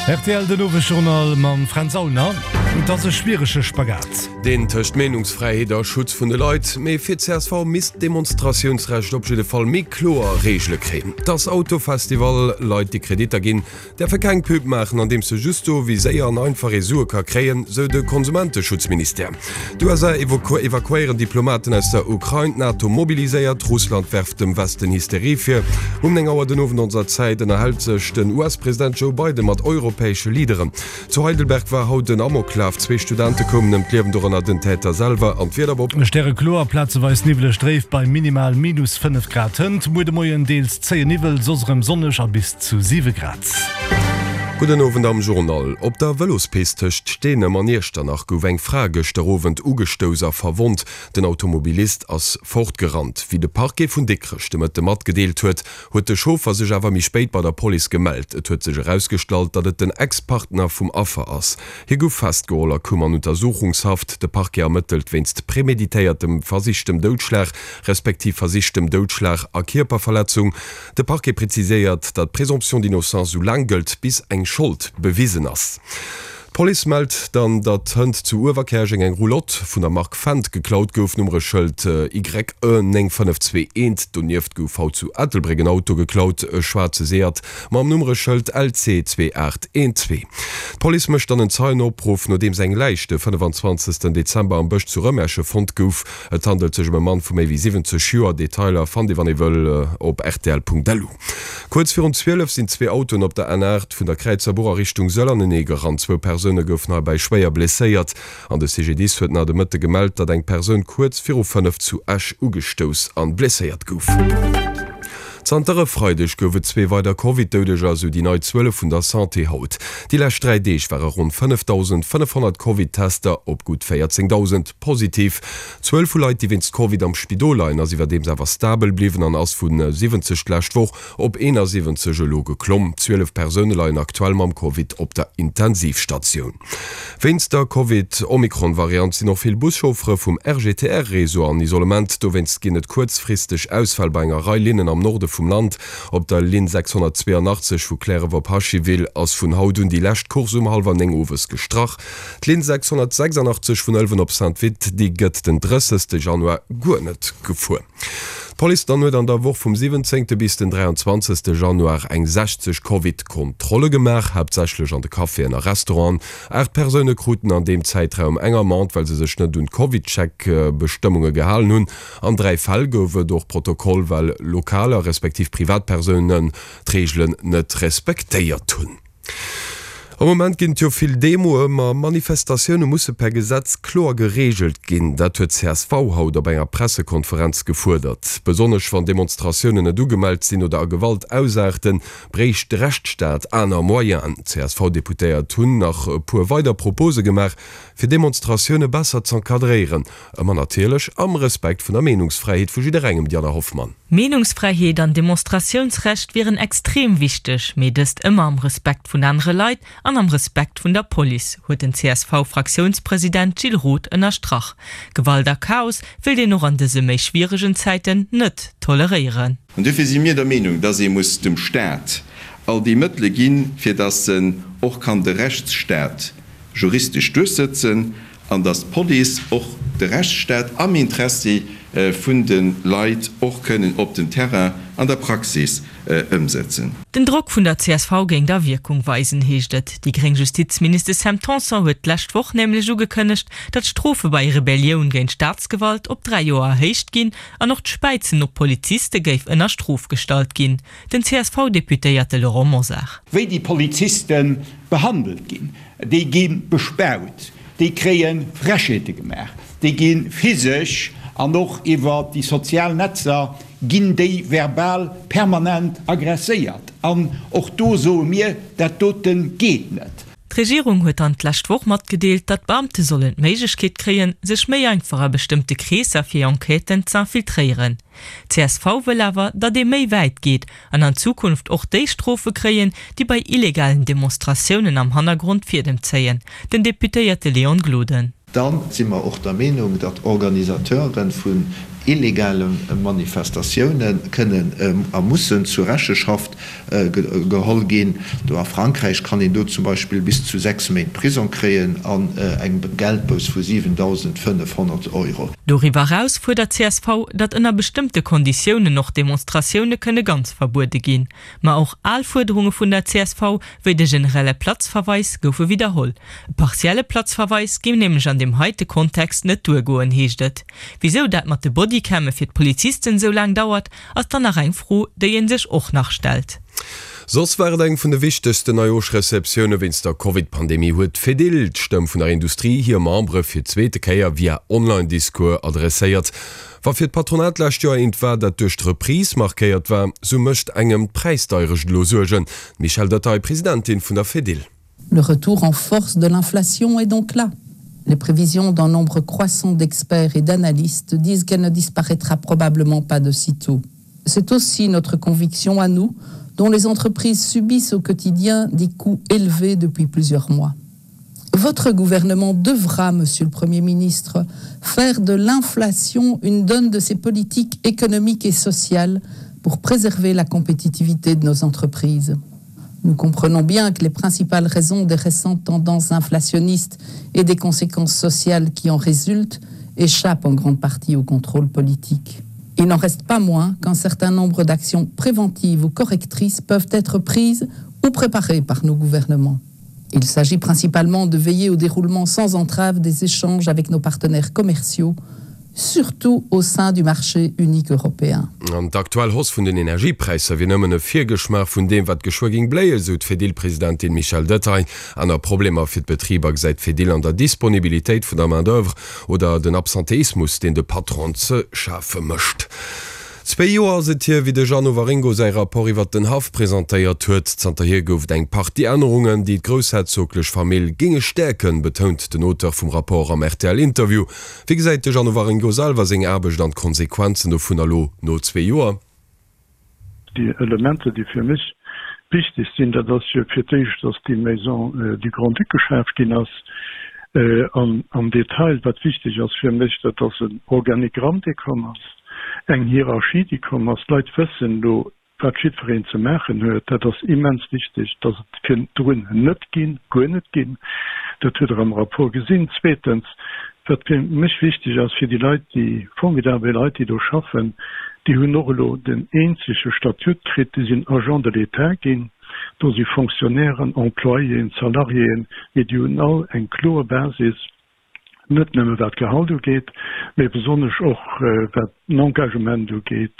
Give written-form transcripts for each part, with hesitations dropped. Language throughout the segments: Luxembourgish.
Rtl Den Owesjournal mam Fränz Aulner. Et ass e schwierege Spagat. Deen tëscht Meenungsfräiheet a Schutz vun de Leit. Mee fir csv misst d'Demonstratiounsrecht op jidde Fall méi kloer Reegele kréien. Dass Autofestival Leit déi Kreditter ginn, däerfe keng Pub maachen, andeems se just soe wéi séier an einfach ee Sue ka kréien, sou de Konsumenteschutzministère. D'USA evakuéieren Diplomaten aus der Ukrain, d'NATO mobiliséiert, Russland werft dem Westen Hysterie vir. Um 9 Auer den Owend onser Zäit ënnerhält sech den US-President Joe Biden mat europäesche Leaderen. Zu Heidelberg war haut en Amoklaf, zwee Studente koumen ëm d'Liewen, dorënner den Täter selwer. An d'Wieder op. Stärekloer, plazeweis niwweleg dréif bei minimal minus 5 Grad. Hënt muer de Moien deels zéie Niwwel, soss erëm sonneg a bis zu 7 Grad. Gudden Owend am Journal. Op der Vëlospist tëscht Steenem an Iechternach gouf eng Fra gëschter Owend ugestouss a verwonnt. Den Automobilist ass fortgerannt. Wéi de Parquet vun Dikrech de Mëtte matgedeelt huet, huet de Chauffer sech awer méi spéit bei der Police gemellt. Et huet sech erausgestallt, datt et den Ex-Partner vum Affer ass. Hie gouf festgeholl a koum an Untersuchungshaft. De Parquet ermëttelt wéinst premeditéiertem versichtem Doudschlag, respektiv versichtem Doudschlag a Kierperverletzung. De Parquet preziséiert, datt d'Présomption d'innocence sou laang gëllt, bis eng Schold bewisen ass. D'Police mellt dann, datt hënt zu Uewerkäerjeng eng Roulotte vun der Mark Fendt geklaut gouf, Nummereschëld YE 9521. Donieft gouf haut zu Ettelbréck en Auto geklaut, e schwaarze Seat mam Nummereschëld LC 2812. D'Police mécht dann en Zeienopruff, nodeems eng Läich de 25 Dezember am Bësch zu Rëmersche fonnt gouf. Et handelt sech ëm e Mann vu méi wéi 70 Joer. Detailer fannt Dir wann ee wëll op rtl.lu. Kuerz virun 12 sinn zwee Autoen op der N8 vun der Kräizerbuch a Richtung Sëll anenee gerannt. Zwou Persoune goufen heibäi schwéier blesséiert an de CGDIS huet nach de Mëtte gemellt, datt eng Persoun kuerz viru 5 zu Esch ugestouss an blesséiert gouf. Zanter e Freideg gouf et zwee weider Covid-Doudeger, esou déi nei Zuele vun der Santé haut. Déi lescht 3 Deeg ware ronn 5.500 Covid-Tester op gutt 14.000 positiv. D'Zuel vu Leit, déi wéinst Covid am Spidol leien, ass iwwerdeems awer stabel bliwwen an ass vu 70 d'lescht Woch op 71 elo geklomm. 12 Persoune leien aktuell mam Covid op der Intensivstatioun. Wéinst der Covid-Omikron-Variant sinn och vill Buschauffere vum RGTR-Réseau an Isolement. Dowéinst ginn et kuerzfristeg Ausfäll bei enger Rei Linnen am Norde vum Land. Op der Linn 682 vu Cliärref op Hachiville ass vun haut un déi lescht Course um hallwer 9 owes gestrach. D'Linn 686 vun Ëlwen op Saint-Vith, déi gëtt den 30 Januar guer net gefuer. D'Police dann huet an der Woch vum 17 bis den 23 Januar eng 60 Covid-Kontrolle gemaach, haaptsächlech an de Caféen a Restauranten. 8 Persoune kruten an deem Zäitraum eng Amende, well se sech net un d'Covidcheck-Bestëmmunge gehalen hunn. An 3 Fäll gouf et och Protokoll, well Lokaler respektiv Privatpersounen d'Reegelen net respektéiert hunn. Am Moment ginn et jo vill Demoe, ma Manifestatioune musse per Gesetz kloer gereegelt ginn. Dat huet csv haut op enger Pressekonferenz gefuerdert. Besonnesch wann Demonstratiounen net ugemellt sinn oder a Gewalt ausaarten, bréicht de Rechtsstaat aner Moyenen. D'CSV-Deputéiert hunn nach e puer weider Propose gemaach, fir Demonstratioune besser z'encadréieren. Ëmmer natierlech am Respekt vun der Meenungsfräiheet vu jidderengem, Diana Hoffmann. Meenungsfräiheet an Demonstratiounsrecht wieren extrem wichteg, mee dëst ëmmer am Respekt vun anere Leit an am Respekt vun der Police, huet den CSV-Fraktiounspresident Gilles Roth ënnerstrach. Gewalt a Chaos wéilt een och an dëse méi schwieregen Zäiten net toleréieren. An duerfir si mir der Meenung, dass ee muss dem Stat all déi Mëttele ginn, fir dass en och kann de Rechtsstaat juristesch duerchsëtzen an dass d'Police och de Rechtsstaat am Interessi vun de Leit och kënnen op den Terrain an der Praxis ëmsetzen. Den Drock vun der csv géing da Wierkung weisen, heescht et. Déi gréng Justizministesch Sam Tanson huet d'lescht Woch nämlech ugekënnegt, datt d'Strofe bei Rebellioun géint d'Staatsgewalt op 3 Joer erhéicht ginn an och d'Späizen op Poliziste géif ënner Strof gestallt ginn. Den CSV-Deputéierte Laurent Mosar. Wéi déi Poliziste behandelt ginn, déi gi bespaut, déi kréie Frechheete gemaach, déi gi physesch an och iwwer déi sozial Netzer ginn déi verbal permanent agresséiert. An och do soe mir, dat dote geet net. D'Regierung huet dann d'lescht Woch matgedeelt, datt d'Beamte sollen d'Méiglechkeet kréien, sech méi einfach a bestëmmte Kreesser fir Enquêten z'infiltréieren. Csv wëll awer, datt ee méi wäit geet an an Zukunft och déi Strofe kréien, déi bei illegalen Demonstratiounen am Hannergrond d'Fiedem zéien, den Deputéierte Léon Gloden. Da si mer och der Meenung, datt Organisateure vun. illegale Manifestatioune kënnen a mussen zur Recheschaft geholl ginn. Do a Frankräich kann een do zum Beispill bis zu 6 Méint Prisong kréien an eng Geldbouss vu 7.500 Euro. Doriwwer eraus fuerdert csv, datt ënner bestëmmte Konditiounen och Demonstratioune kënne ganz verbuede ginn. Ma och al Fuerderunge vun der csv, wéi de generelle Platzverweis, goufe widderholl. E partielle Platzverweis géing nämlech an deem heite Kontext net duergoen, heescht et. Wisou dat mat de Bodycamme fir d'Polizisten esou laang dauert, ass dann nach eng Fro, déi ee sech och nach stellt. Soss war et eng vun de wichtegsten Neijoerschreceptioune wéinst der Covid-Pandemie, huet d'Fedil, d'Stëmm vun der Industrie, hir Membere fir d'zweete Kéier via Online-Discours adresséiert. Wa fir d'Patronat d'lescht Joer eent war, dat duerch d'Reprise markéiert war, sou mécht engem d'Präisdeierecht elo Suergen. D'Michèle Detaille, Presidentin vun der Fedil. Le retour en force de l'inflation est donc là. Les prévisions d'un nombre croissant d'experts et d'analystes disent qu'elle ne disparaîtra probablement pas de sitôt. C'est aussi notre conviction à nous dont les entreprises subissent au quotidien des coûts élevés depuis plusieurs mois. Votre gouvernement devra, Monsieur le Premier ministre, faire de l'inflation une donne de ses politiques économiques et sociales pour préserver la compétitivité de nos entreprises. Nous comprenons bien que les principales raisons des récentes tendances inflationnistes et des conséquences sociales qui en résultent échappent en grande partie au contrôle politique. Il n'en reste pas moins qu'un certain nombre d'actions préventives ou correctrices peuvent être prises ou préparées par nos gouvernements. Il s'agit principalement de veiller au déroulement sans entrave des échanges avec nos partenaires commerciaux, surtout au sein du marché unique européen. An d'aktuell Hausse vun den Energiepräisser wier nëmmen e Virgeschmaach vun deem, wat geschwë géing bléien, sou d'Fedil-Presidentin Michèle Detaille. Aner Problemer fir d'Betriber gesäit d'Fedil an der Disponibilitéit vun der Main-d'oeuvre oder den Absenteismus, deen de Patron ze schafe mécht. Zwéi Joer ass et hier, wéi de Jeannot Waringo säi Rapport iwwert den Haff presentéiert huet. Zanterhier gouf et eng Partie Ännerungen, déi d'groussherzoglech Famill géinge stäerken, betount den Auteur vum Rapport am RTL-Interview. Wéi gesäit de Jeannot Waringo selwer seng Aarbecht an d'Konsequenzen dovunner elo no zwee Joer? Déi Elementer, déi fir mech wichteg sinn, dat ass jo fir d'éischt, dass déi Maison du Grand-Duc geschaf ginn ass. An am Detail, wat wichteg ass fir mech, dat ass en Organigramm, dee komm ass. Eng Hierarchie, déi komm ass. D'Leit wëssen elo, wat jiddwereen ze maachen huet. Dat ass immens wichteg, dass et virdrun net ginn, guer net ginn. Dat hutt Der am Rapport gesinn. Zweetens, wat fir mech wichteg ass, fir déi Leit, déi formidabel Leit, déi do schaffen, déi hunn och elo den eenzege Statut kritt, déi sinn Agents de l'État ginn. Do si Fonctionnairen, Employéen, Salariéen, mee déi hunn all eng kloer Basis. net nëmme wat d'Gehalt ugeet, mä besonnesch och wat den Engagement ugeet,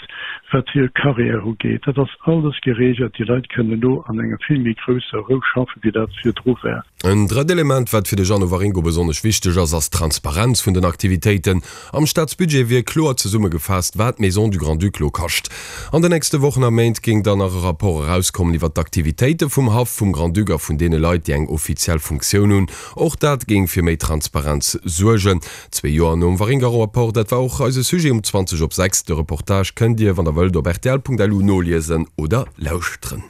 wat hir Carrière ugeet. Dat ass alles geregelt. Déi Leit kënnen elo an enger vill méi grousser Rou schaffen, wéi dat virdru war. En drëtt Element, wat fir de Jeannot Waringo besonnesch wichteg ass, ass d'Transparenz vun den Aktivitéiten. Am Staatsbudget wier kloer zesummegefaasst, wat d'Maison du Grand-Duc lo kascht. An den nächste Wochen a Méint géing dann nach e Rapport erauskommen iwwer d'Aktivitéite vum Haff vum Grand-Duc a vun deene Leit, déi eng offiziell Funktioun hunn. Och dat géing fir méi Transparenz suergen. Zwee Joer nom Waringo-Rapport, dat war och eise Sujet um 20 op 6. De Reportage kënnt Dir, wann der wëllt, op rtl.lu noliesen oder lauschteren.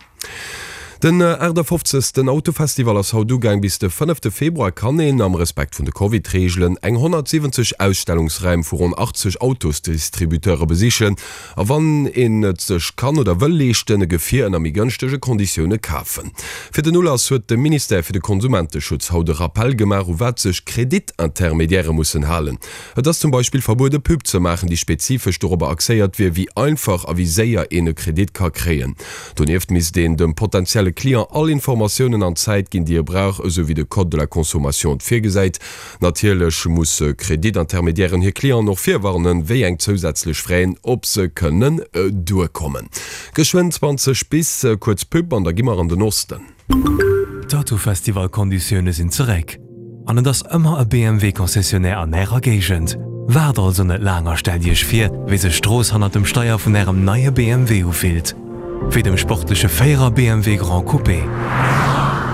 Den 58. Autofestival ass haut ugaang. Bis de fënnefte Februar kann een, am Respekt vun de Covid-Reegelen, eng 170 Ausstellungsräim vu ronn 80 Autosdistributeure besichen. A wann een et sech kann oder wëll leeschten, e Gefier ënner méi gënschtege Konditioune kafen. Fir den Ulass huet de Ministère fir de Konsumenteschutz haut e Rappell gemaach, u wat sech Kreditintermediairë mussen halen. Et ass zum Beispill verbuede Pub ze maachen, déi spezifesch dorobber axéiert wier, wéi einfach a wéi séier een e Kredit ka kréien. Donieft misst een dem potentielle Client all Informatiounen an Zäit ginn, déi e brauch, esou wéi de Code de la consommation et virgesäit. Natierlech musse Kreditintermediairen hir Clienten och virwarnen, wéi eng zousätzlech Fräen op se kënnen duerkommen. Geschwënn 20 bis, kuerz Pub an da gi mer an den Osten. D'Autofestival-Konditioune sinn zeréck an et ass ëmmer e BMW-Concessionnaire an Ärer Géigend. Waart also net laang a stellt Iech vir, wéi sech d'Strooss hannert dem Steier vun Ärem neie BMW ufillt. Wéi dem sportleche Véierer BMW Gran Coupé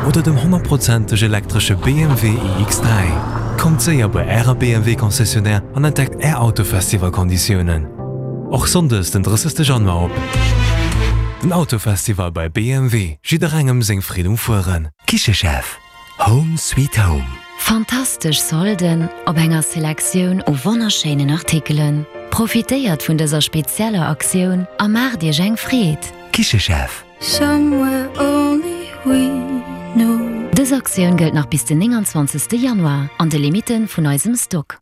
oder dem honnertprozenteg elektresche BMW iX3. Kommt séier bei Ärer BMW Concessionnaire an entdeckt Är Autofestival-Konditiounen. Och Sonndes den 30 Januar op. Den Autofestival bei BMW, jidderengem seng Freed um Fueren. Kichechef, Home sweet home. Fantastesch Solden op enger Selektioun u wonnerschéinen Artikelen. Profitéiert vun dëser spezieller Aktioun a maacht Iech eng Freed! Kichechef. Dës Aktioun gëllt nach bis den 29 Januar an de Limite vun eisem Stock.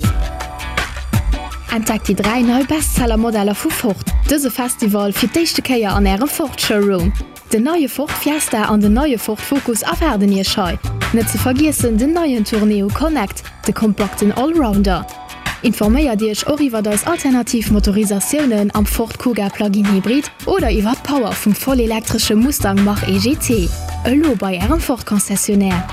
Entdeckt déi 3 nei Bestseller-Modeller vu Ford dëse Festival fir d'éischte Kéier an Ärem Ford Showroom. Den neie Ford Fiesta an den neie Ford Focus erwaarden Iech hei. Net ze vergiessen den neien Tourneo Connect, de kompakten Allrounder. Informéiert Iech och iwwert eis alternativ Motorisatiounen am Ford Kuga Plug-in Hybrid oder iwwert d'Power vum vollelektresche Mustang Mach-E GT. Elo bei Ärem Ford Concessionnaire.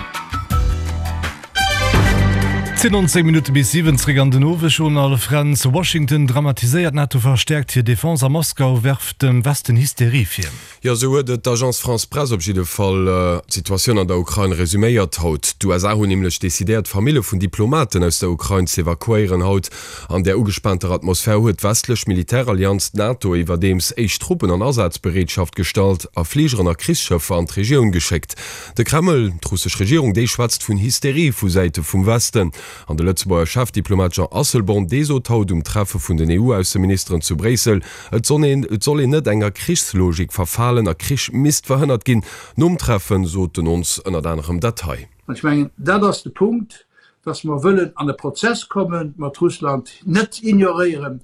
10 an 10 Minutte bis 7, zréck an den Owesjournal. Fränz, Washington dramatiséiert, d'NATO verstäerkt hir Defense a Moskau werft dem Westen Hysterie vir. Jo, esou huet et d'Agence France-Presse op jidde Fall d'Situatioun an der Ukrain resuméiert haut. D'USA hunn nämlech decidéiert, Famille vun Diplomaten aus der Ukrain z'evakuéieren. Haut an där ugespaanter Atmosphär huet d'westlech Militärallianz, d'NATO, iwwerdeems éischt Truppen an Asazbereetschaft gestallt a Fligeren a Krichsschëffer an d'Regioun geschéckt. De Kreml, d'russesch Regierung, déi schwätzt vun Hysterie vu Säite vum Westen. An de Lëtzebuerger Chefdiplomat Jean Asselborn, dee sot haut um Treffe vun den EU-Ausseministeren zu Bréissel, Et soll een et soll een net enger Krichslogik verfalen a Krich misst verhënnert ginn. Nom Treffen sot den ons ënnert anerem dat hei. An ech mengen, dat ass de Punkt, dass mer wëllen an e Prozess komme mat Russland, net ignoréieren,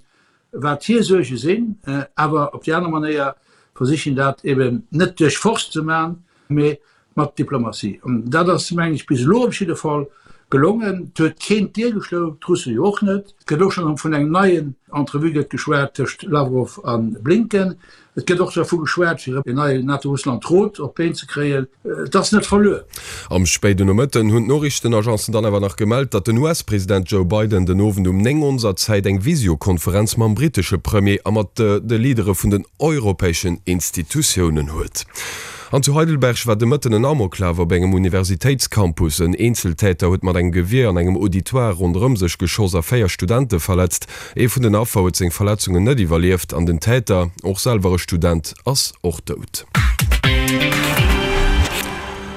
wat hir Suerge sinn, awer op déi aner Manéier versichen, dat eben net duerch Force ze maachen, mee mat Diplomatie. An dat ass, mengen ech, bis elo op jidde Fall gelongen. Et huet keen d'Dier geschloen, d'Russe jo och net. Et gëtt och schonn vun engem neien Entrevue gëtt geschwat tëscht Lawrow a Blinken. Et gëtt och dervu geschwat, fir en neien NATO-Russland-Rot op d'Been ze kréien. Et ass net verluer. Am spéiden Nomëtten hunn d'Noriichtenagencen dann awer nach gemellt, datt den US-President Joe Biden den Owend um 9 onser Zäit eng Visiokonferenz mam brittesche Premier a mat de Leadere vun den europäeschen Institutiounen huet. An zu Heidelberg war de Mëtten en Amoklaf op engem Universitéitscampus. En Eenzeltäter huet mat engem Gewier an engem Auditoire ronderëm sech geschoss a 4 Studente verletzt. Ee vun den Affer huet seng Verletzungen net iwwerlieft an den Täter, och selwer e Student, ass och dout.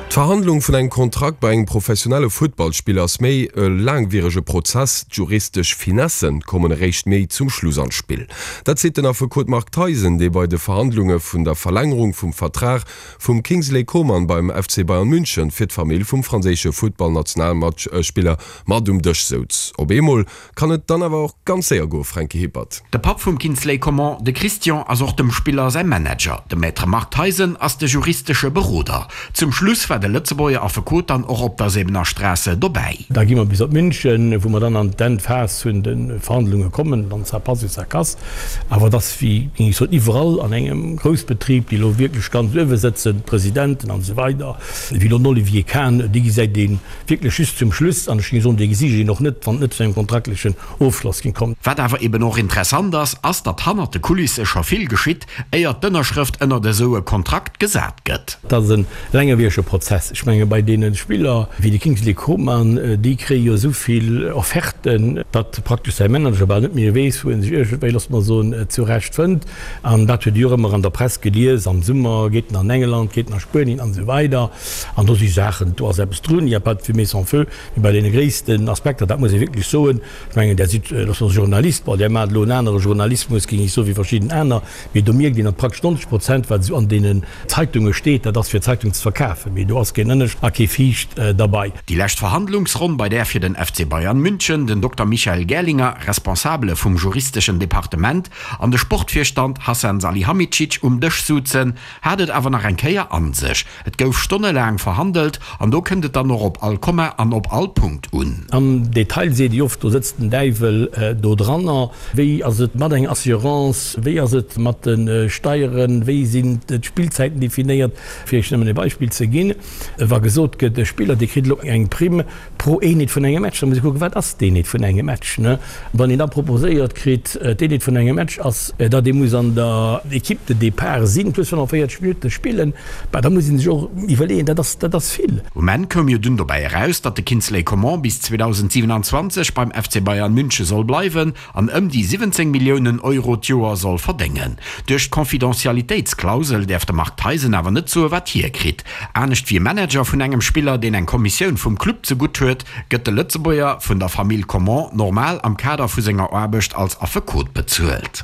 D'Verhandlung vun engem Kontrakt bei engem professionelle Futtballspiller ass méi e laangwierege Prozess. D'juristesch Finesse kommen eréischt méi zum Schluss an d'Spill. Dat seet den Affekot Marc Theisen, dee bei de Verhandlunge vun der Verlängerung vum Vertrag vum Kingsley Coman beim FC Bayern München fir d'Famill vum franséische Futtballnationalspiller mat um Dësch souz. Op eemol Kann et dann awer och ganz séier goe, Franky Hippert. De Papp vum Kinsley Coman, de Christian, ass och dem Spiller säi Manager. De Maître Marc Theisen ass de juristesche Beroder. Zum Schluss war de Lëtzebuerger Affekot dann och op der Säbener Straße dobäi. Da gi mer bis op München, wou mer dann an d'Endphas vun de Verhandlunge kommen, dann ça passe ou ça casse. Awer et ass, wéi géing ech soen, iwwerall an engem Groussbetrib, déi elo wierklech ganz uewe sëtzen, d'Presidenten an esou weider, wéi elo den Olivier Kahn, déi gesäit ee Wierklech just zum Schluss, an ech géing soen, dee gesi een och net, wann et net zu engem kontraktlechen Ofschloss géing kommen. Wat awer eben och interessant ass, ass datt hannert de Kulisse scho vill geschitt, éier d'Ënnerschrëft ënnert esou e Kontrakt gesat gëtt. Dat ass e laangewierege Prozess. Ech menge bei deene Spiller wéi de Kingsley Coman, déi kréie jo esou vill Offerten, datt praktesch säi Manager bal net méi weess, wou en sech iergendwéi, loosse mer soen, zurecht fënnt. An dat huet ee jo och ëmmer an der Press gelies, am Summer geet en an England, geet en a Spuenien an esou weider. An do si Saachen, do ass eppes drun, il n'y a pas de fumée sans feu, mee bei deene gréissten Aspekter, dat muss ee wierklech soen, ech mengen, Der sidd, loosse mer soen, Journalist, bon, Der maacht elo en anere Journalismus, géing ech soen, wéi verschidden aner, mee do mierkt een, datt praktesch 90 Prozent, wat esou an deenen Zeitunge steet, dat ass fir d'Zeitung ze verkafen, mee do ass keen Ënnescht a kee Viischt derbei. Déi lescht Verhandlungsronn, bei där fir den FC Bayern München den Dokter Michael Gerlinger, Responsabele vum juristeschen Departement, an de Sportvirstand Hasan Salihamidzic um Dësch souzen, hat et awer nach eng Kéier an sech. Et gouf stonnelaang verhandelt an do kënnt et dann och op all Komma an op all Punkt un. Am Detail seet ee oft, do sëtzt den Däiwel do dranner. Wéi ass et mat enger Assurance, wéi ass et mat de Steieren, wéi sinn d'Spillzäiten definéiert? Fir Iech nëmmen e Beispill ze ginn, Wa gesot gëtt, e Spiller, dee kritt elo eng Primm pro Eenheet vun engem Match, da muss ee kucken, wat ass d'Eenheet vun engem Match? Wann een da proposéiert kritt, d'Eenheet vun engem Match ass, datt ee muss an der Equipe de départ sinn, plus 45 Minutte spillen, bah, da muss ee sech och iwwerleeën, dat ass, dat ass vill. Um Enn koum jo dunn dobäi eraus, datt de Kingsley Coman bis 2027 beim FC Bayern München soll bleiwen an ëm déi 17 Milliounen Euro d'Joer soll verdéngen. Duerch d'Confidentialitéitsklausel däerf de Marc Theisen awer net soe wat hie kritt. Anescht wéi e. Wéi e Manager vun engem Spiller, deen eng Kommissioun vum Club zegutt huet, gëtt de Lëtzebuerger vun der Famill Coman normal am Kader vu senger Aarbecht als Affekot bezuelt.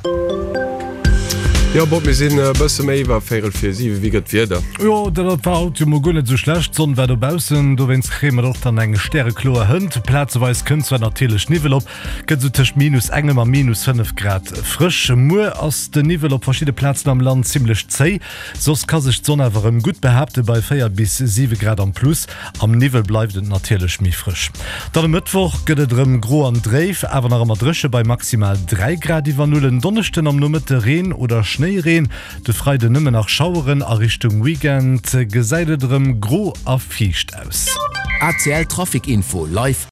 Jo Bob, mir sinn e bësse méi iwwer véirel vir 7. Wéi gëtt d'Wieder? Jo, dat war haut jo mol guer net esou schlecht. D'Sonn war dobaussen, dowéinst kréie mer och dann eng stärekloer Hënt. Plazeweis kënnt zwar natierlech Niwwel op, gëtt esou tëscht minus engem a minus 5 Grad frësch. Muer ass de Niwwel op verschidde Plazen am Land zimmlech zéi, soss ka sech d'Sonn awer erëm gutt behaapte bei 4 bis 7 Grad am Plus. Am Niwwel bleift et natierlech méi frësch. Dann e Mëttwoch gëtt et erëm gro an dréif, awer nach ëmmer dréche bei maximal 3 Grad iwwer Null. En Donneschden am Nomëtte Reen oder Schnéireen, de Freiden nëmmen nach Schaueren. A Richtung Weekend gesäit et erëm gro a fiicht aus. ACL Trafic Info live.